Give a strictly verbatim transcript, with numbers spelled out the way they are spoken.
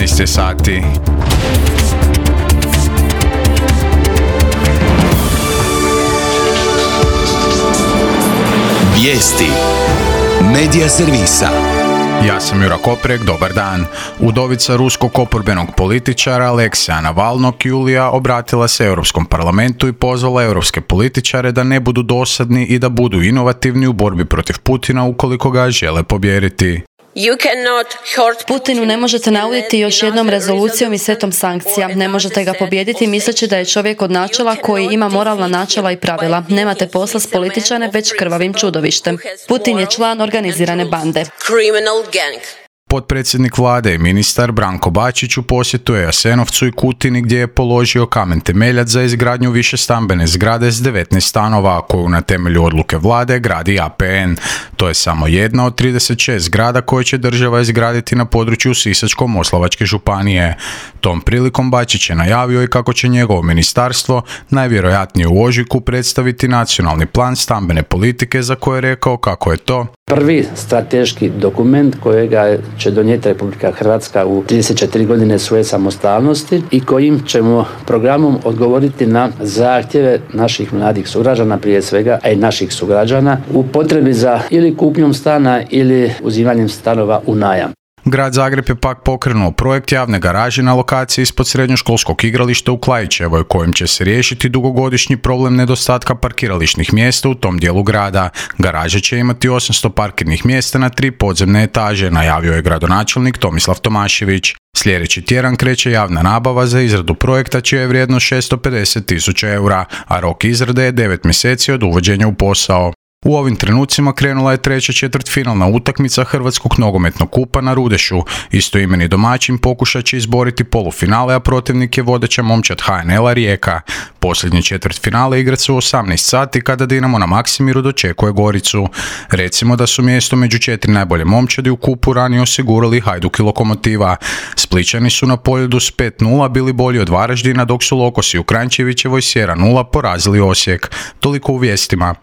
šesnaest je sati. Vijesti Medija servisa. Ja sam Jura Koprek, dobar dan. Udovica ruskog oporbenog političara Alekseja Navalnog Julija obratila se Europskom parlamentu i pozvala europske političare da ne budu dosadni i da budu inovativni u borbi protiv Putina ukoliko ga žele pobijediti. Putinu ne možete nauditi još jednom rezolucijom i setom sankcija. Ne možete ga pobijediti misleći da je čovjek od načela koji ima moralna načela i pravila. Nemate posla s političarem, već krvavim čudovištem. Putin je član organizirane bande. Potpredsjednik vlade i ministar Branko Bačić u posjetu je Jasenovcu i Kutini gdje je položio kamen temeljac za izgradnju višestambene zgrade s devetnaest stanova koju na temelju odluke vlade gradi A P N. To je samo jedna od trideset šest zgrada koje će država izgraditi na području Sisačko-moslavačke županije. Tom prilikom Bačić je najavio i kako će njegovo ministarstvo najvjerojatnije u ožujku predstaviti nacionalni plan stambene politike za koje je rekao kako je to prvi strateški dokument kojega će donijeti Republika Hrvatska u trideset četiri godine svoje samostalnosti i kojim ćemo programom odgovoriti na zahtjeve naših mladih sugrađana, prije svega, a i naših sugrađana u potrebi za ili kupnjom stana ili uzimanjem stanova u najam. Grad Zagreb je pak pokrenuo projekt javne garaže na lokaciji ispod srednjoškolskog igrališta u Klaićevoj, kojim će se riješiti dugogodišnji problem nedostatka parkirališnih mjesta u tom dijelu grada. Garaže će imati osamsto parkirnih mjesta na tri podzemne etaže, najavio je gradonačelnik Tomislav Tomašević. Sljedeći tjedan kreće javna nabava za izradu projekta čija je vrijednost šesto pedeset tisuća eura, a rok izrade je devet mjeseci od uvođenja u posao. U ovim trenucima krenula je treća četvrtfinalna utakmica Hrvatskog nogometnog kupa na Rudešu. Istoimeni domaćin pokušat će izboriti polufinale, a protivnik je vodeća momčad H N L-a Rijeka. Posljednje četvrtfinale igrat su u osamnaest sati kada Dinamo na Maksimiru dočekuje Goricu. Recimo da su mjesto među četiri najbolje momčadi u kupu ranije osigurali Hajduk i Lokomotiva. Splićani su na Poljudu s pet nula bili bolji od Varaždina, dok su Lokosi u Kranjčevićevoj s jedan nula porazili Osijek. Toliko u vijestima.